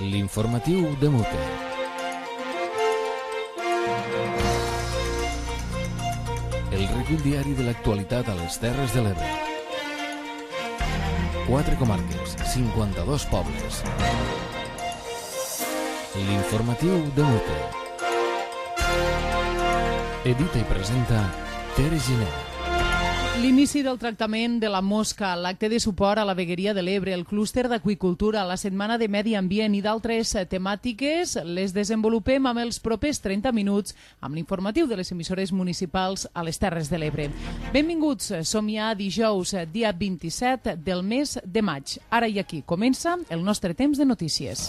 L'informatiu de Mute. El recull diari de l'actualitat a les Terres de l'Ebre. 4 comarques, 52 pobles. L'informatiu de Mute. Edita i presenta Tere Giner. L'inici del tractament de la mosca, l'acte de suport a la vegueria de l'Ebre, el clúster d'aqüicultura, la setmana de medi ambient i d'altres temàtiques les desenvolupem amb els propers 30 minuts amb l'informatiu de les emissores municipals a les Terres de l'Ebre. Benvinguts, som ja dijous, dia 27 del mes de maig. Ara i aquí comença el nostre temps de notícies.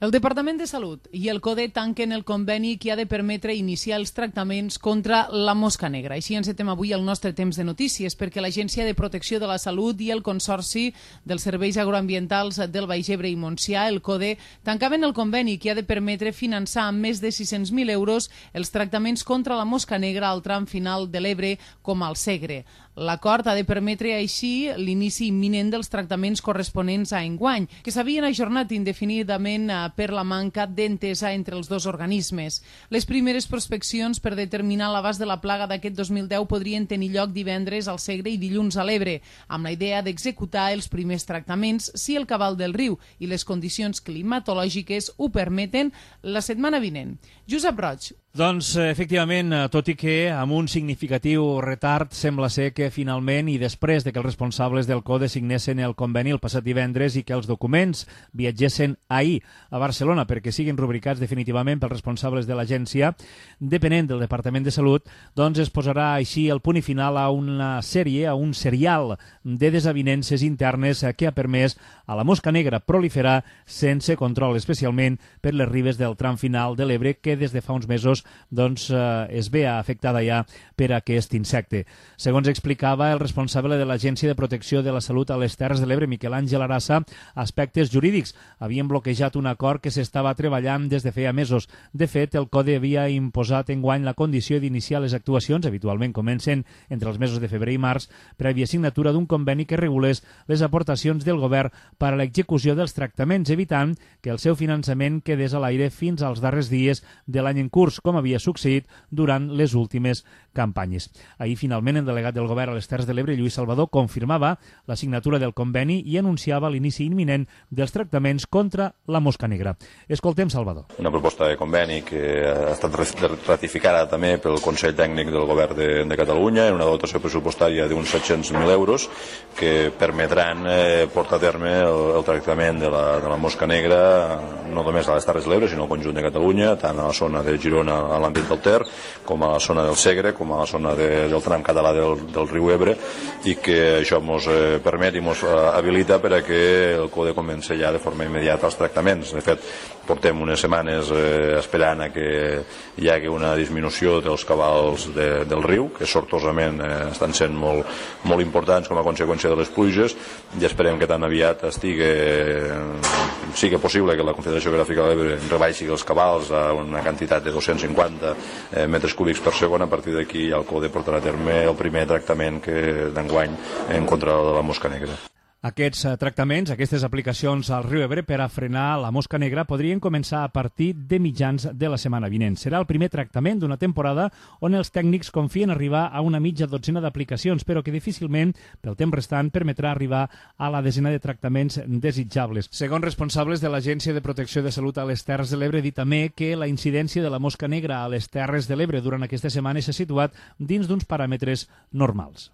El Departament de Salut i el CODE tanquen el conveni que ha de permetre iniciar els tractaments contra la mosca negra. Així encetem avui el nostre temps de notícies, perquè l'Agència de Protecció de la Salut i el Consorci dels Serveis Agroambientals del Baix Ebre i Montsià, el CODE, tancaven el conveni que ha de permetre finançar amb més de 600.000 euros els tractaments contra la mosca negra al tram final de l'Ebre com al Segre. L'acord ha de permetre així l'inici imminent dels tractaments corresponents a enguany, que s'havien ajornat indefinidament per la manca d'entesa entre els dos organismes. Les primeres prospeccions per determinar l'abast de la plaga d'aquest 2010 podrien tenir lloc divendres al Segre i dilluns a l'Ebre, amb la idea d'executar els primers tractaments si el cabal del riu i les condicions climatològiques ho permeten la setmana vinent. Josep Roig. Doncs, efectivament, tot i que amb un significatiu retard, sembla ser que finalment, i després de que els responsables del CODE signessin el conveni el passat divendres i que els documents viatgessin ahir a Barcelona perquè siguin rubricats definitivament pels responsables de l'agència, depenent del Departament de Salut, doncs es posarà així el punt i final a una sèrie, a un serial de desavinences internes que ha permès a la mosca negra proliferar sense control, especialment per les ribes del tram final de l'Ebre, que des de fa uns mesos es ve afectada ja per aquest insecte. Segons explicava el responsable de l'Agència de Protecció de la Salut a les Terres de l'Ebre, Miquel Àngel Arassa, aspectes jurídics havien bloquejat un acord que s'estava treballant des de feia mesos. De fet, el CODE havia imposat enguany la condició d'iniciar les actuacions, habitualment comencen entre els mesos de febrer i març, prèvia signatura d'un conveni que regulés les aportacions del govern per a l'execució dels tractaments, evitant que el seu finançament quedés a l'aire fins als darrers dies de l'any en curs, com havia succeït durant les últimes campanyes. Ahir, finalment, el delegat del govern a les Terres de l'Ebre, Lluís Salvador, confirmava la signatura del conveni i anunciava l'inici imminent dels tractaments contra la mosca negra. Escoltem Salvador. Una proposta de conveni que ha estat ratificada també pel Consell Tècnic del Govern de Catalunya en una dotació pressupostària d'uns 700.000 euros que permetran portar a terme el tractament de la mosca negra no només a les Terres de l'Ebre, sinó al conjunt de Catalunya, tant a la zona de Girona, a l'àmbit del Ter, com a la zona del Segre, com a la zona del tram català del riu Ebre, i que això ens permet i ens habilita per a que el CODE comenci ja de forma immediata els tractaments. De fet, portem unes setmanes esperant a que hi hagi una disminució dels cabals del riu, que sortosament estan sent molt importants com a conseqüència de les pluges, i esperem que tan aviat sigui possible que la Confederació Hidrogràfica de l'Ebre rebaixi els cabals a una quantitat de 250 metres cúbics per segon. A partir d'aquí el CODE portarà a terme el primer tractament d'enguany en contra de la mosca negra. Aquests tractaments, aquestes aplicacions al riu Ebre per a frenar la mosca negra podrien començar a partir de mitjans de la setmana vinent. Serà el primer tractament d'una temporada on els tècnics confien arribar a una mitja dotzena d'aplicacions, però que difícilment, pel temps restant, permetrà arribar a la desena de tractaments desitjables. Segons responsables de l'Agència de Protecció de Salut a les Terres de l'Ebre, dit també que la incidència de la mosca negra a les Terres de l'Ebre durant aquesta setmana s'ha situat dins d'uns paràmetres normals.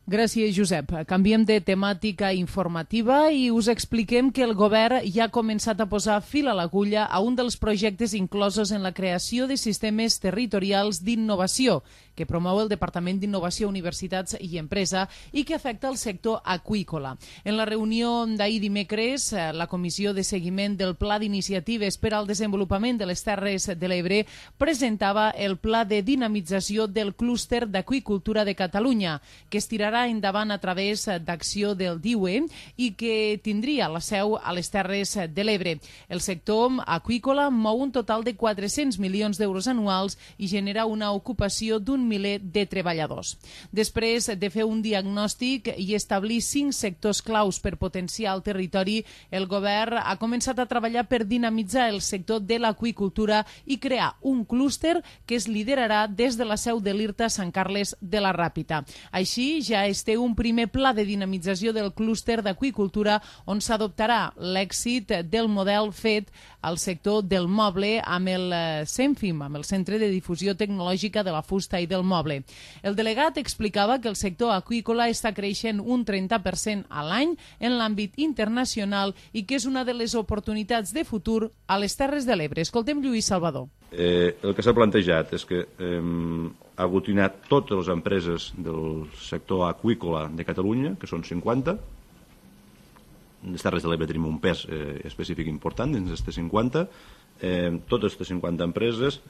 Gràcies, Josep. Canviem de temàtica informativa i us expliquem que el govern ja ha començat a posar fil a l'agulla a un dels projectes inclosos en la creació de sistemes territorials d'innovació que promou el Departament d'Innovació, Universitats i Empresa i que afecta el sector aqüícola. En la reunió d'ahir dimecres, la Comissió de Seguiment del Pla d'Iniciatives per al Desenvolupament de les Terres de l'Ebre presentava el Pla de Dinamització del Clúster d'Aqüicultura de Catalunya, que estirarà tirarà endavant a través d'acció del DIUE i que tindria la seu a les Terres de l'Ebre. El sector aqüícola mou un total de 400 milions d'euros anuals i genera una ocupació d'un miler de treballadors. Després de fer un diagnòstic i establir 5 sectors claus per potenciar el territori, el govern ha començat a treballar per dinamitzar el sector de l'aqüicultura i crear un clúster que es liderarà des de la seu de l'IRTA Sant Carles de la Ràpita. Així, ja es té un primer pla de dinamització del clúster d'aqüicultura on s'adoptarà l'èxit del model fet al sector del moble amb el CENFIM, amb el Centre de Difusió Tecnològica de la Fusta i del Moble. El delegat explicava que el sector aqüícola està creixent un 30% a l'any en l'àmbit internacional i que és una de les oportunitats de futur a les Terres de l'Ebre. Escoltem Lluís Salvador. El que s'ha plantejat és que aglutinar totes les empreses del sector aqüícola de Catalunya, que són 50. Les Terres de l'Ebre tenim un pes específic important dins d'aquestes 50. Totes aquestes 50 empreses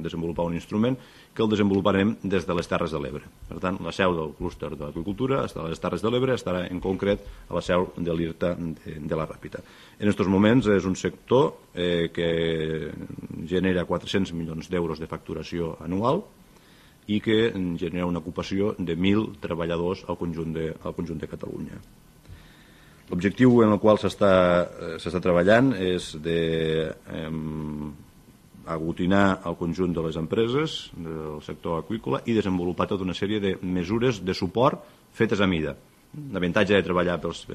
desenvolupar un instrument que el desenvoluparem des de les Terres de l'Ebre. Per tant, la seu del clúster de l'aqüicultura estarà a les Terres de l'Ebre, estarà en concret a la seu de l'IRTA de la Ràpita. En aquests moments és un sector que genera 400 milions d'euros de facturació anual i que genera una ocupació de 1.000 treballadors al conjunt de Catalunya. L'objectiu en el qual s'està treballant és d'aglutinar el conjunt de les empreses del sector aqüícola i desenvolupar tota una sèrie de mesures de suport fetes a mida. L'avantatge de treballar des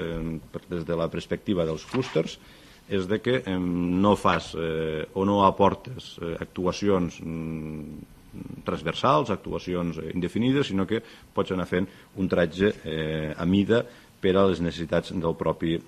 de la perspectiva dels clústers és de que no fas o no aportes actuacions transversals, actuacions indefinides, sinó que pots anar fent un tratge a mida per a les necessitats del propi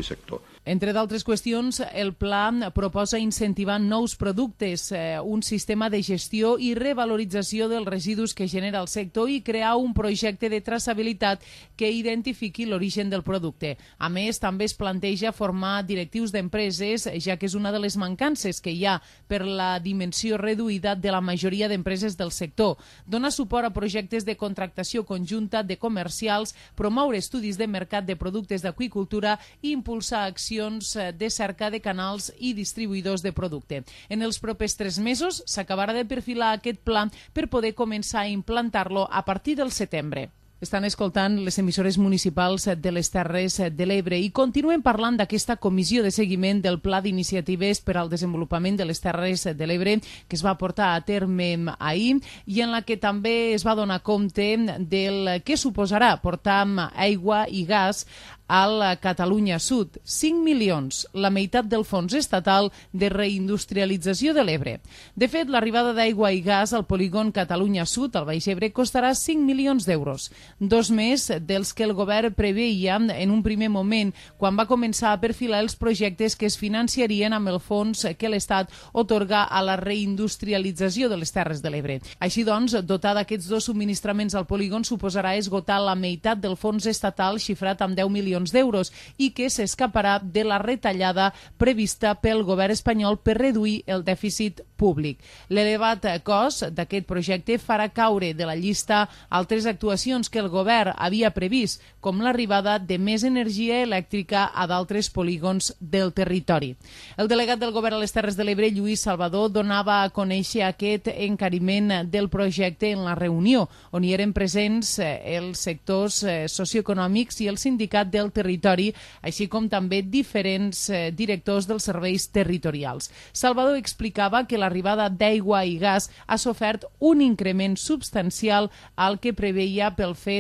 sector. Entre d'altres qüestions, el pla proposa incentivar nous productes, un sistema de gestió i revalorització dels residus que genera el sector i crear un projecte de traçabilitat que identifiqui l'origen del producte. A més, també es planteja formar directius d'empreses, ja que és una de les mancances que hi ha per la dimensió reduïda de la majoria d'empreses del sector. Donar suport a projectes de contractació conjunta de comercials, promoure estudis de mercat de productes d'aqüicultura i impulsar accions de cerca de canals i distribuïdors de producte. En els propers 3 mesos s'acabarà de perfilar aquest pla per poder començar a implantar-lo a partir del setembre. Estan escoltant les emissores municipals de les Terres de l'Ebre i continuen parlant d'aquesta comissió de seguiment del Pla d'Iniciatives per al Desenvolupament de les Terres de l'Ebre que es va portar a terme ahir i en la que també es va donar compte del que suposarà portar aigua i gas al Catalunya Sud. 5 milions, la meitat del fons estatal de reindustrialització de l'Ebre. De fet, l'arribada d'aigua i gas al polígon Catalunya Sud, al Baix Ebre, costarà 5 milions d'euros. 2 més dels que el govern preveia en un primer moment quan va començar a perfilar els projectes que es financiarien amb el fons que l'Estat otorga a la reindustrialització de les Terres de l'Ebre. Així doncs, dotar d'aquests 2 subministraments al polígon suposarà esgotar la meitat del fons estatal xifrat amb 10 milions d'euros i que s'escaparà de la retallada prevista pel govern espanyol per reduir el dèficit públic. L'elevat cost d'aquest projecte farà caure de la llista altres actuacions que el govern havia previst, com l'arribada de més energia elèctrica a d'altres polígons del territori. El delegat del govern a les Terres de l'Ebre, Lluís Salvador, donava a conèixer aquest encariment del projecte en la reunió, on hi eren presents els sectors socioeconòmics i el sindicat del territori, així com també diferents directors dels serveis territorials. Salvador explicava que l'arribada d'aigua i gas ha sofert un increment substancial al que preveia pel fet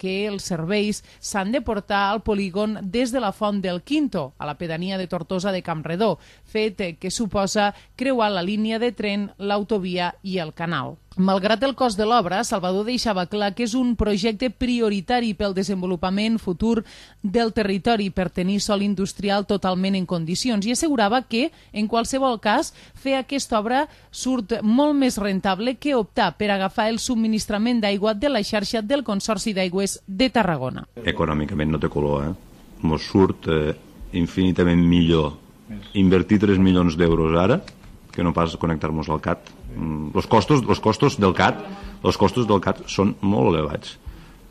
que els serveis s'han de portar al polígon des de la Font del Quinto, a la pedania de Tortosa de Campredó, fet que suposa creuar la línia de tren, l'autovia i el canal. Malgrat el cost de l'obra, Salvador deixava clar que és un projecte prioritari pel desenvolupament futur del territori per tenir sòl industrial totalment en condicions i assegurava que, en qualsevol cas, fer aquesta obra surt molt més rentable que optar per agafar el subministrament d'aigua de la xarxa del Consorci d'Aigües de Tarragona. Econòmicament no té color, Mos surt infinitament millor invertir 3 milions d'euros ara que no pas connectar-nos al CAT. Els costos del CAT són molt elevats.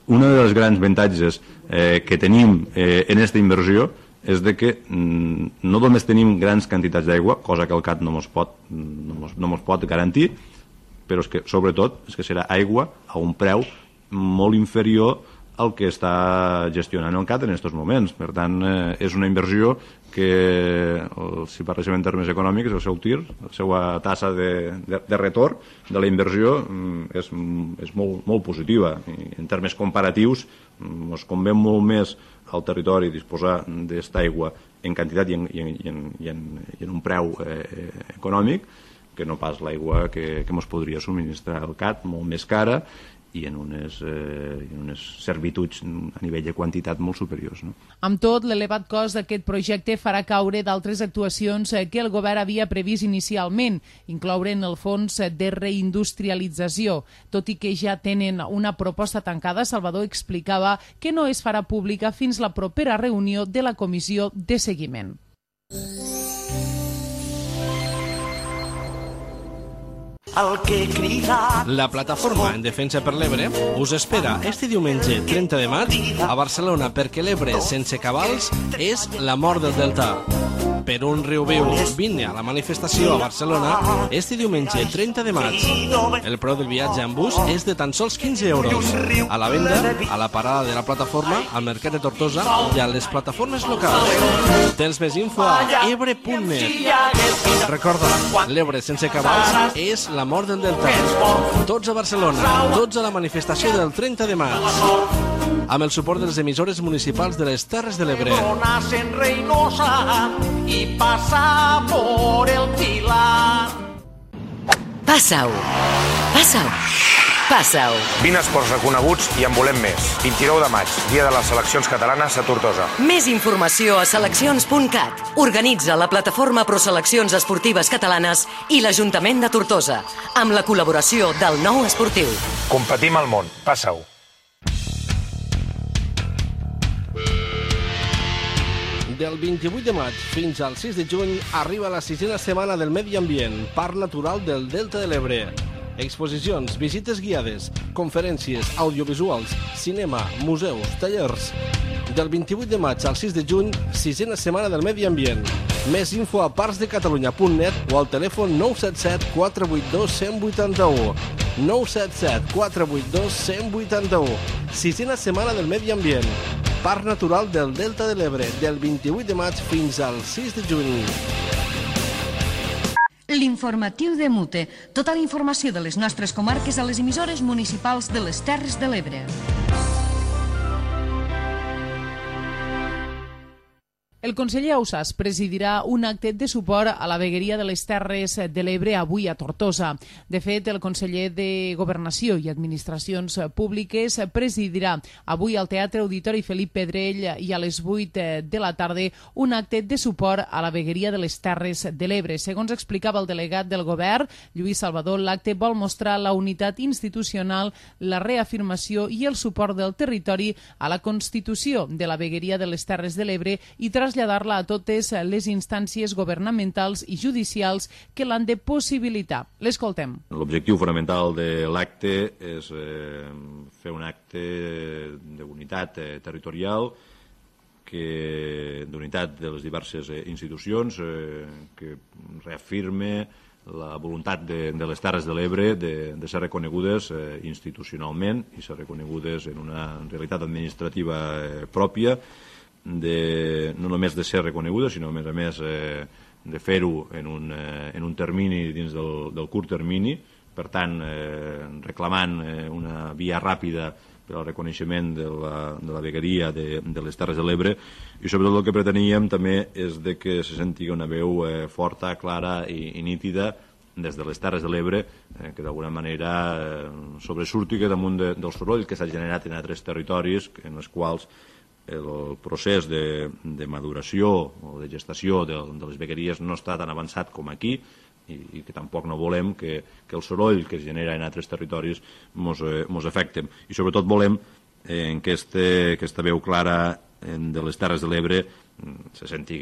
un dels grans avantatges que tenim en aquesta inversió és de que no només tenim grans quantitats d'aigua, cosa que el CAT no ens pot garantir, però és que, sobretot, és que serà aigua a un preu molt inferior al que està gestionant el CAT en aquests moments. Per tant, és una inversió que, si parléssim en termes econòmics, el seu TIR, la seva tassa de retorn de la inversió és molt positiva. I en termes comparatius, ens convé molt més al territori disposar d'aquesta aigua en quantitat i en un preu econòmic que no pas l'aigua que ens podria subministrar el CAT, molt més cara i en unes servituds a nivell de quantitat molt superiors. Amb tot, l'elevat cost d'aquest projecte farà caure d'altres actuacions que el govern havia previst inicialment, incloure en el fons de reindustrialització. Tot i que ja tenen una proposta tancada, Salvador explicava que no es farà pública fins la propera reunió de la comissió de seguiment. La plataforma en defensa per l'Ebre us espera este diumenge 30 de maig a Barcelona perquè l'Ebre sense cabals és la mort del delta. Per un riu viu, vine a la manifestació a Barcelona este diumenge 30 de maig. El preu del viatge en bus és de tan sols 15 euros. A la venda, a la parada de la plataforma, al Mercat de Tortosa i a les plataformes locals. Tens més info a ebre.net. Recorda, l'Ebre sense cabals és la mort del delta. Tots a Barcelona, tots a la manifestació del 30 de maig. Amb el suport de les emissores municipals de les Terres de l'Ebre. Y pasa por el Pilar. Passa-ho. Passa-ho. Passa-ho. 20 esports reconeguts i en volem més. 29 de maig, dia de les seleccions catalanes a Tortosa. Més informació a seleccions.cat. Organitza la plataforma Proseleccions Esportives Catalanes i l'Ajuntament de Tortosa, amb la col·laboració del Nou Esportiu. Competim al món. Passa-ho. Del 28 de maig fins al 6 de juny arriba la 6a setmana del Medi Ambient, Parc Natural del Delta de l'Ebre. Exposicions, visites guiades, conferències, audiovisuals, cinema, museus, tallers. Del 28 de maig al 6 de juny, 6a setmana del Medi Ambient. Més info a parcsdecatalunya.net o al telèfon 977 482 181. 977 482 181. 6a setmana del Medi Ambient. Parc Natural del Delta de l'Ebre, del 28 de maig fins al 6 de juny. L'informatiu de Mute. Tota la informació de les nostres comarques a les emissores municipals de les Terres de l'Ebre. El conseller Ausàs presidirà un acte de suport a la vegueria de les Terres de l'Ebre avui a Tortosa. De fet, el conseller de Governació i Administracions Públiques presidirà avui al Teatre Auditori Felip Pedrell i a les 8 de la tarda un acte de suport a la vegueria de les Terres de l'Ebre. Segons explicava el delegat del govern, Lluís Salvador, l'acte vol mostrar la unitat institucional, la reafirmació i el suport del territori a la constitució de la vegueria de les Terres de l'Ebre i traslladar-la a totes les instàncies governamentals i judicials que l'han de possibilitar. L'escoltem. L'objectiu fonamental de l'acte és fer un acte d'unitat territorial, d'unitat de les diverses institucions, que reafirme la voluntat de les Terres de l'Ebre de ser reconegudes institucionalment i ser reconegudes en una realitat administrativa pròpia, no només de ser reconeguda, sinó a més de fer-ho en un termini dins del curt termini, per tant reclamant una via ràpida per al reconeixement de la vegueria de les Terres de l'Ebre, i sobretot el que preteníem també és que se senti una veu forta, clara i nítida des de les Terres de l'Ebre, que d'alguna manera sobresurti damunt del soroll que s'ha generat en altres territoris en els quals el procés de maduració o de gestació de les vegueries no està tan avançat com aquí i que tampoc no volem que el soroll que es genera en altres territoris mos afecti. I sobretot volem que aquesta veu clara de les Terres de l'Ebre se senti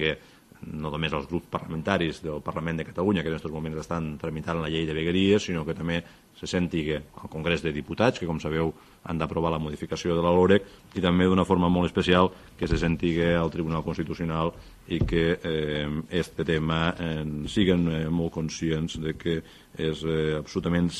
no només els grups parlamentaris del Parlament de Catalunya, que en aquests moments estan tramitant la llei de vegueries, sinó que també se senti que al Congrés de Diputats, que com sabeu han d'aprovar la modificació de la LOREC, i també d'una forma molt especial que se senti al Tribunal Constitucional i que aquest tema siguen molt conscients de que és absolutament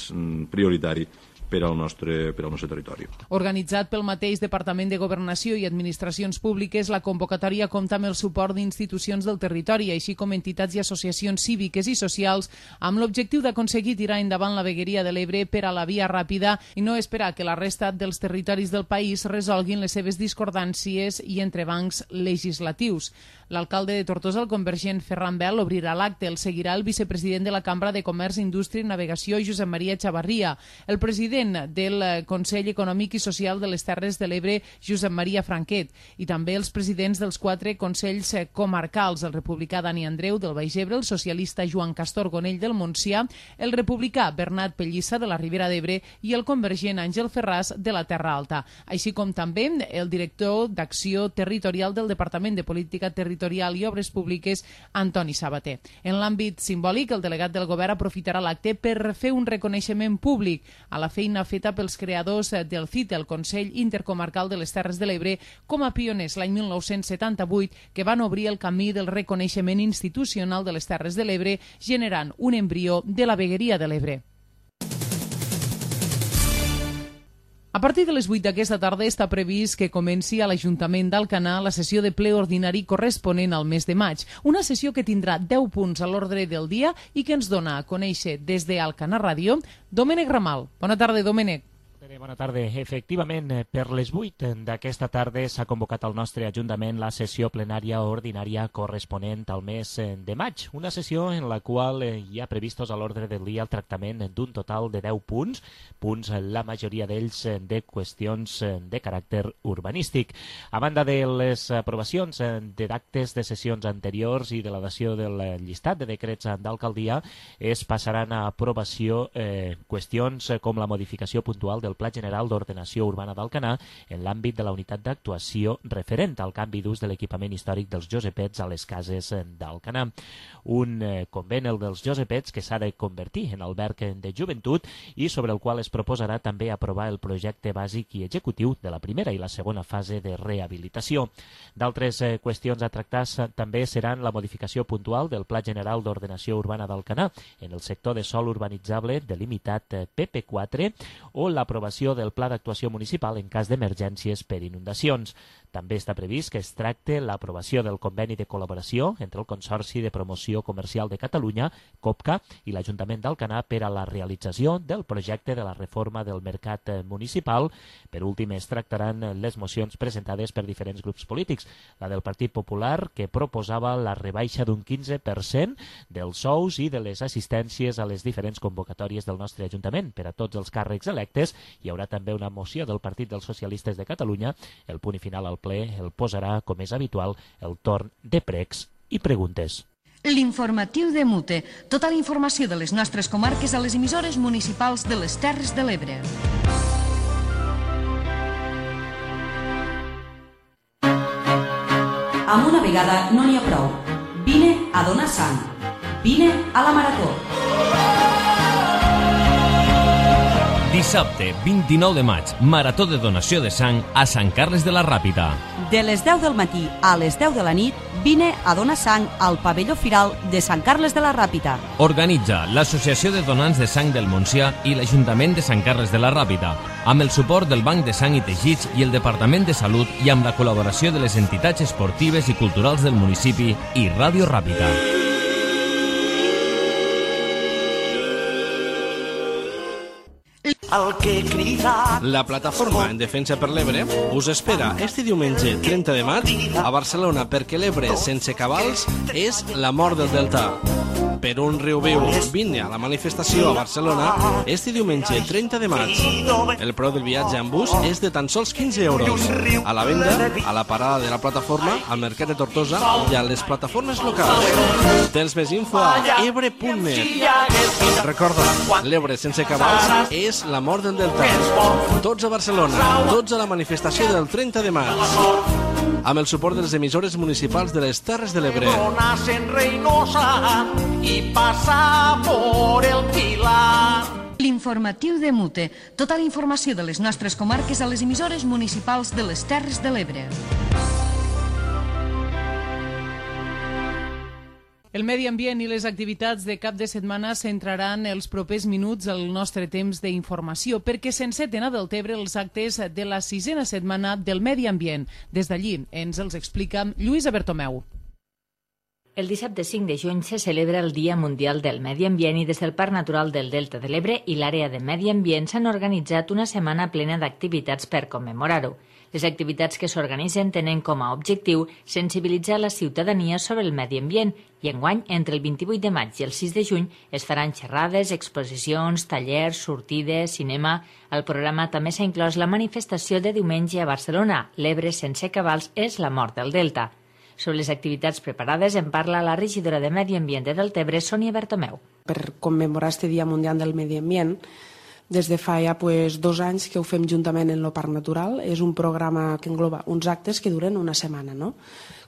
prioritari per al nostre territori. Organitzat pel mateix Departament de Governació i Administracions Públiques, la convocatòria compta amb el suport d'institucions del territori, així com entitats i associacions cíviques i socials, amb l'objectiu d'aconseguir tirar endavant la vegueria de l'Ebre per a la via ràpida i no esperar que la resta dels territoris del país resolguin les seves discordàncies i entrebancs legislatius. L'alcalde de Tortosa, el convergent Ferran Bel, obrirà l'acte. El seguirà el vicepresident de la Cambra de Comerç, Indústria i Navegació, Josep Maria Chavarria, el president del Consell Econòmic i Social de les Terres de l'Ebre, Josep Maria Franquet, i també els presidents dels 4 consells comarcals, el republicà Dani Andreu del Baix Ebre, el socialista Joan Castor Gonell del Montsià, el republicà Bernat Pellissa de la Ribera d'Ebre i el convergent Àngel Ferràs de la Terra Alta, així com també el director d'Acció Territorial del Departament de Política Territorial i Obres Públiques, Antoni Sabater. En l'àmbit simbòlic, el delegat del govern aprofitarà l'acte per fer un reconeixement públic a la feina feta pels creadors del CITE, el Consell Intercomarcal de les Terres de l'Ebre, com a pioners l'any 1978, que van obrir el camí del reconeixement institucional de les Terres de l'Ebre, generant un embrió de la vegueria de l'Ebre. A partir de les 8 d'aquesta tarda està previst que comenci a l'Ajuntament d'Alcanar la sessió de ple ordinari corresponent al mes de maig. Una sessió que tindrà 10 punts a l'ordre del dia i que ens dona a conèixer des d'Alcanar Ràdio Domènec Ramal. Bona tarda, Domènec. Bona tarda. Efectivament, per les 8 d'aquesta tarda s'ha convocat al nostre Ajuntament la sessió plenària ordinària corresponent al mes de maig. Una sessió en la qual hi ha previstos a l'ordre del dia el tractament d'un total de 10 punts, la majoria d'ells de qüestions de caràcter urbanístic. A banda de les aprovacions d'actes de sessions anteriors i de la dació del llistat de decrets d'alcaldia, es passaran a aprovació qüestions com la modificació puntual del Pla General d'Ordenació Urbana d'Alcanar en l'àmbit de la unitat d'actuació referent al canvi d'ús de l'equipament històric dels Josepets a les cases d'Alcanar. Un convent, el dels Josepets, que s'ha de convertir en alberg de joventut i sobre el qual es proposarà també aprovar el projecte bàsic i executiu de la primera i la segona fase de rehabilitació. D'altres qüestions a tractar també seran la modificació puntual del Pla General d'Ordenació Urbana d'Alcanar en el sector de sòl urbanitzable delimitat PP4 o l'aprovació del Pla d'Actuació Municipal en cas d'emergències per inundacions. També està previst que es tracte l'aprovació del conveni de col·laboració entre el Consorci de Promoció Comercial de Catalunya, COPCA, i l'Ajuntament d'Alcanar per a la realització del projecte de la reforma del mercat municipal. Per últim, es tractaran les mocions presentades per diferents grups polítics. La del Partit Popular, que proposava la rebaixa d'un 15% dels sous i de les assistències a les diferents convocatòries del nostre Ajuntament per a tots els càrrecs electes. Hi haurà també una moció del Partit dels Socialistes de Catalunya. El punt i final al ple el posarà, com és habitual, el torn de pregs i preguntes. L'informatiu de Mute. Tota la informació de les nostres comarques a les emissores municipals de les Terres de l'Ebre. Amb una vegada no n'hi ha prou. Vine a donar sang. Vine a la Marató. Dissabte, 29 de maig, Marató de donació de sang a Sant Carles de la Ràpita. De les 10 del matí a les 10 de la nit, vine a donar sang al pavelló firal de Sant Carles de la Ràpita. Organitza l'Associació de Donants de Sang del Montsià i l'Ajuntament de Sant Carles de la Ràpita, amb el suport del Banc de Sang i Teixits i el Departament de Salut i amb la col·laboració de les entitats esportives i culturals del municipi i Ràdio Ràpita. La plataforma en defensa per l'Ebre us espera este diumenge 30 de maig a Barcelona perquè l'Ebre sense cabals és la mort del delta. Per un riu viu, vine a la manifestació a Barcelona este diumenge 30 de maig. El preu del viatge en bus és de tan sols 15 euros. A la venda, a la parada de la plataforma, al Mercat de Tortosa i a les plataformes locals. Tens més info a ebre.net. Recorda, l'Ebre sense cabals és la mort del delta. Tots a Barcelona, tots a la manifestació del 30 de maig. amb el suport de les emissores municipals de les Terres de l'Ebre. En Reynosa y pasa por el Pilar. L'informatiu de Mute. Tota la informació de les nostres comarques a les emissores municipals de les Terres de l'Ebre. El medi ambient i les activitats de cap de setmana centraran els propers minuts al nostre temps d'informació, perquè s'enceten a Deltebre els actes de la 6a setmana del medi ambient. Des d'allí ens els explica Lluïsa Bertomeu. El dissabte 5 de juny se celebra el Dia Mundial del Medi Ambient i des del Parc Natural del Delta de l'Ebre i l'àrea de Medi Ambient s'han organitzat una setmana plena d'activitats per commemorar-ho. Les activitats que s'organitzen tenen com a objectiu sensibilitzar la ciutadania sobre el medi ambient i enguany, entre el 28 de maig i el 6 de juny, es faran xerrades, exposicions, tallers, sortides, cinema. Al programa també s'ha inclòs la manifestació de diumenge a Barcelona, l'Ebre sense cabals és la mort del Delta. Sobre les activitats preparades en parla la regidora de Medi Ambient de Deltebre, Sònia Bertomeu. Per commemorar este Dia Mundial del Medi Ambient, des de fa ja 2 anys que ho fem juntament en el Parc Natural. És un programa que engloba uns actes que duren una setmana.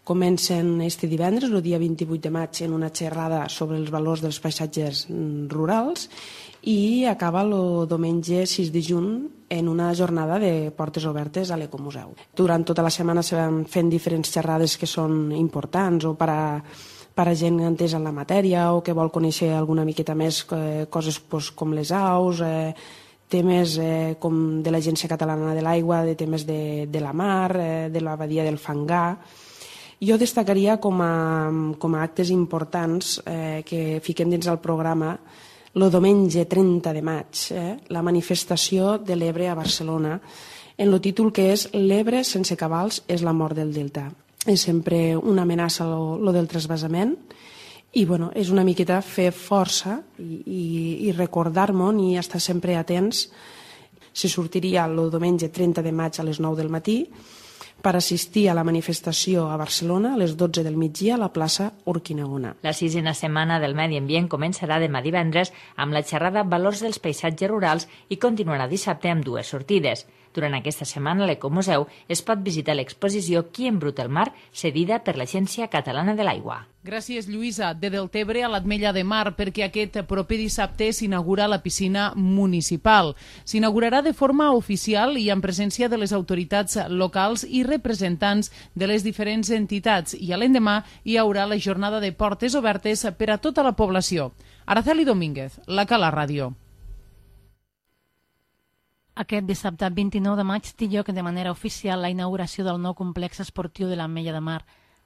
Comencen este divendres, el dia 28 de maig, en una xerrada sobre els valors dels paisatges rurals i acaba el diumenge 6 de juny en una jornada de portes obertes a l'Ecomuseu. Durant tota la setmana se van fent diferents xerrades que són importants o per a gent entesa en la matèria o que vol conèixer alguna miqueta més coses com les aus, temes com de l'Agència Catalana de l'Aigua, de temes de la mar, de la badia del Fangar. Jo destacaria com a actes importants que fiquem dins del programa el diumenge 30 de maig, la manifestació de l'Ebre a Barcelona, en el títol que és «L'Ebre sense cabals és la mort del Delta». És sempre una amenaça lo del trasbassament i és una miqueta fer força i recordar-nos i estar sempre atents. Se sortiria el diumenge 30 de maig a les 9 del matí per assistir a la manifestació a Barcelona a les 12 del migdia a la plaça Urquinaona. La 6a setmana del Medi Ambient començarà demà divendres amb la xerrada Valors dels paisatges rurals i continuarà dissabte amb 2 sortides. Durant aquesta setmana a l'Ecomuseu es pot visitar l'exposició Qui embruta el mar, cedida per l'Agència Catalana de l'Aigua. Gràcies, Lluïsa. De Deltebre a l'Ametlla de Mar, perquè aquest proper dissabte s'inaugura la piscina municipal. S'inaugurarà de forma oficial i en presència de les autoritats locals i representants de les diferents entitats. I a l'endemà hi haurà la jornada de portes obertes per a tota la població. Araceli Domínguez, la Cala Ràdio. Aquest dissabte 29 de maig té lloc de manera oficial la inauguració del nou complex esportiu de l'Ametlla de Mar.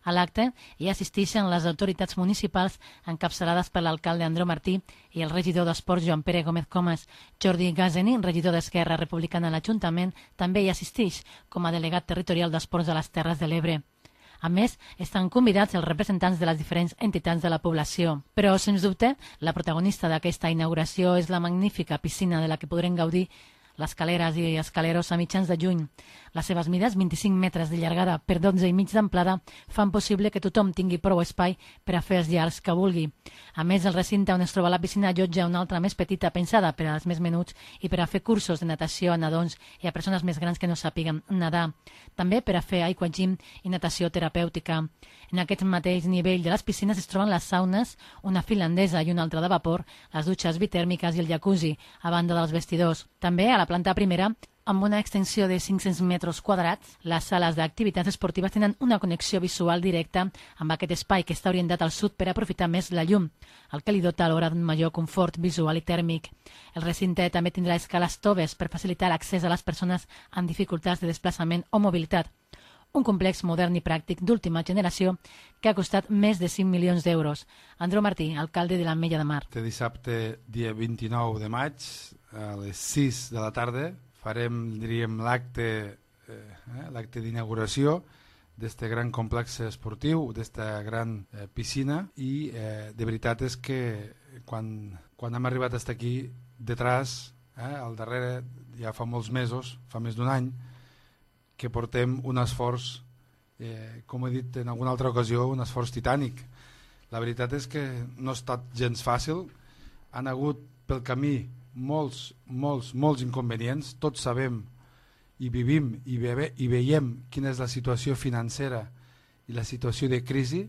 A l'acte hi assisteixen les autoritats municipals encapçalades per l'alcalde Andreu Martí i el regidor d'Esports Joan Pere Gómez Comas. Jordi Gazeni, regidor d'Esquerra Republicana a l'Ajuntament, també hi assisteix com a delegat territorial d'Esports a les Terres de l'Ebre. A més, estan convidats els representants de les diferents entitats de la població. Però, sens dubte, la protagonista d'aquesta inauguració és la magnífica piscina de la que podrem gaudir les caleres i escaleros a mitjans de juny. Les seves mides, 25 metres de llargada per 12 i mig d'amplada, fan possible que tothom tingui prou espai per a fer els llargs que vulgui. A més, el recinte on es troba la piscina allotja una altra més petita pensada per als més menuts i per a fer cursos de natació a nadons i a persones més grans que no sàpiguen nedar. També per a fer aquagym i natació terapèutica. En aquest mateix nivell de les piscines es troben les saunes, una finlandesa i una altra de vapor, les dutxes bitèrmiques i el jacuzzi, a banda dels vestidors. També a la planta primera, amb una extensió de 500 metres quadrats, les sales d'activitats esportives tenen una connexió visual directa amb aquest espai que està orientat al sud per aprofitar més la llum, el que li dota alhora d'un major confort visual i tèrmic. El recinte també tindrà escales toves per facilitar l'accés a les persones amb dificultats de desplaçament o mobilitat. Un complex modern i pràctic d'última generació que ha costat més de 5 milions d'euros. Andreu Martí, alcalde de l'Ametlla de Mar. Este dissabte, dia 29 de maig, a les 6 de la tarda, farem, diríem, l'acte d'inauguració d'aquest gran complex esportiu, d'aquesta gran piscina, i de veritat és que quan hem arribat fins aquí, detrás, al darrere, ja fa molts mesos, fa més d'un any, que portem un esforç, com he dit en alguna altra ocasió, un esforç titànic. La veritat és que no ha estat gens fàcil, han hagut pel camí molts inconvenients, tots sabem i vivim i veiem quina és la situació financera i la situació de crisi,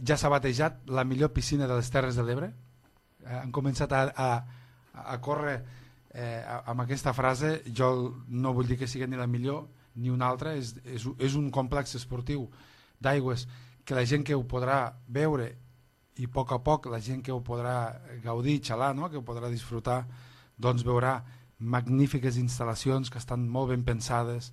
ja s'ha batejat la millor piscina de les Terres de l'Ebre. Han començat a córrer amb aquesta frase. Jo no vull dir que sigui ni la millor ni una altra, és un complex esportiu d'aigües que la gent que ho podrà veure i a poc la gent que ho podrà gaudir, xalar, no? Que ho podrà disfrutar, doncs veurà magnífiques instal·lacions que estan molt ben pensades,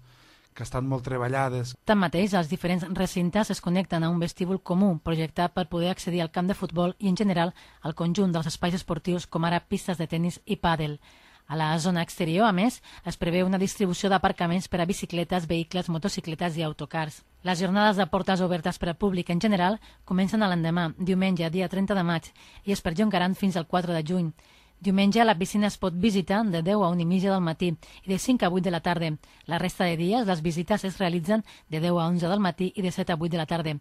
que estan molt treballades. Tanmateix, els diferents recintes es connecten a un vestíbul comú projectat per poder accedir al camp de futbol i, en general, al conjunt dels espais esportius com ara pistes de tennis i pàdel. A la zona exterior, a més, es preveu una distribució d'aparcaments per a bicicletes, vehicles, motocicletes i autocars. Les jornades de portes obertes per al públic en general comencen a l'endemà, diumenge, dia 30 de maig, i es perllongaran fins al 4 de juny. Diumenge la piscina es pot visitar de 10 a 1:30 del matí i de 5 a 8 de la tarda. La resta de dies les visites es realitzen de 10 a 11 del matí i de 7 a 8 de la tarda.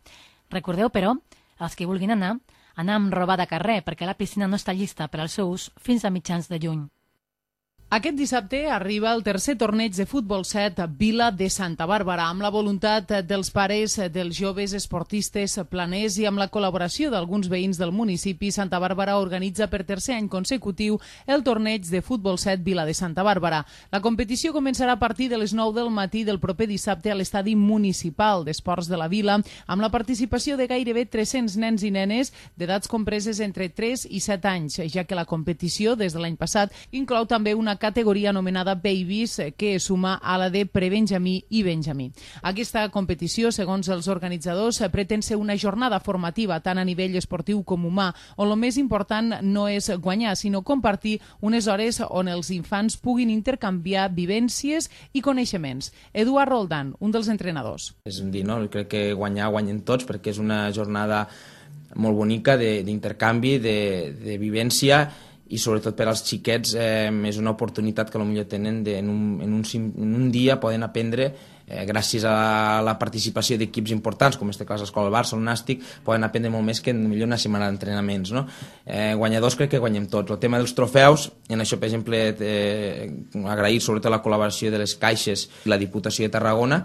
Recordeu, però, els que vulguin anar amb roba de carrer, perquè la piscina no està llista per al seu ús fins a mitjans de juny. Aquest dissabte arriba el tercer torneig de futbol 7 a Vila de Santa Bàrbara, amb la voluntat dels pares dels joves esportistes planers i amb la col·laboració d'alguns veïns del municipi. Santa Bàrbara organitza per tercer any consecutiu el torneig de futbol 7 Vila de Santa Bàrbara. La competició començarà a partir de les 9 del matí del proper dissabte a l'estadi municipal d'esports de la Vila, amb la participació de gairebé 300 nens i nenes d'edats compreses entre 3 i 7 anys, ja que la competició, des de l'any passat, inclou també una categoria anomenada Babies, que es suma a la de prebenjamí i benjamí. Aquesta competició, segons els organitzadors, pretén ser una jornada formativa tant a nivell esportiu com humà, on el més important no és guanyar, sinó compartir unes hores on els infants puguin intercanviar vivències i coneixements. Eduard Roldán, un dels entrenadors. És dir, no? Crec que guanyen tots, perquè és una jornada molt bonica d'intercanvi, de vivència, i sobretot per als xiquets és una oportunitat que potser tenen en un dia poden aprendre, gràcies a la participació d'equips importants, com en aquest cas l'Escola del Barça, el Nàstic, poden aprendre molt més que millor una setmana d'entrenaments. Guanyadors crec que guanyem tots. El tema dels trofeus, en això, per exemple, agrair sobretot la col·laboració de les caixes i la Diputació de Tarragona,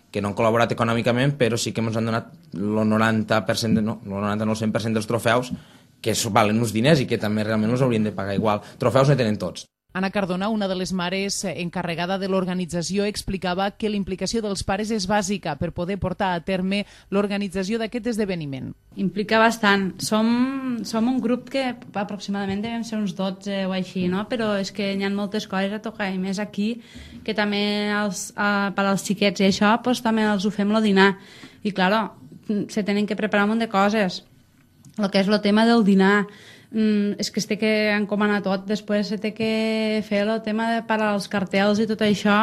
que no han col·laborat econòmicament, però sí que ens han donat el 90%, no el 100% dels trofeus, que valen uns diners i que també realment els haurien de pagar igual. Trofeus no tenen tots. Anna Cardona, una de les mares encarregada de l'organització, explicava que la implicació dels pares és bàsica per poder portar a terme l'organització d'aquest esdeveniment. Implica bastant. Som un grup que aproximadament devem ser uns 12 o així, no? Però és que hi ha moltes coses a tocar, i més aquí, que també per als xiquets i això, també els ho fem el dinar. I, clar, se tenen que preparar un munt de coses. El que és el tema del dinar, és que es té que encomanar tot, després se té que fer el tema de parar els cartells i tot això,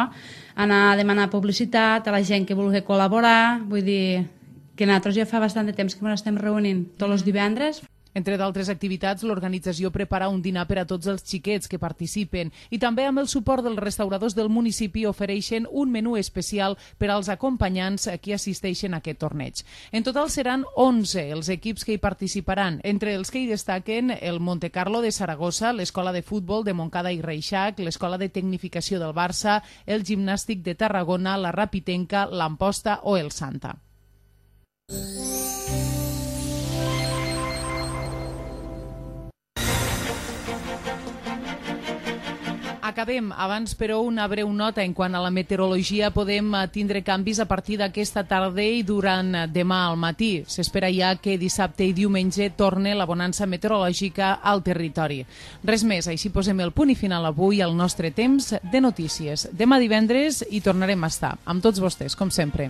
anar a demanar publicitat a la gent que vulgui col·laborar, vull dir que nosaltres ja fa bastant de temps que ens estem reunint tots els divendres. Entre d'altres activitats, l'organització prepara un dinar per a tots els xiquets que participen i també amb el suport dels restauradors del municipi ofereixen un menú especial per als acompanyants que assisteixen a aquest torneig. En total seran 11 els equips que hi participaran, entre els que hi destaquen el Montecarlo de Saragossa, l'Escola de Futbol de Montcada i Reixac, l'Escola de Tecnificació del Barça, el Gimnàstic de Tarragona, la Rapitenca, l'Amposta o el Santa. Acabem. Abans, però, una breu nota en quant a la meteorologia. Podem tindre canvis a partir d'aquesta tarda i durant demà al matí. S'espera ja que dissabte i diumenge torne la bonança meteorològica al territori. Res més, així posem el punt i final avui al nostre temps de notícies. Demà divendres hi tornarem a estar, amb tots vostès, com sempre.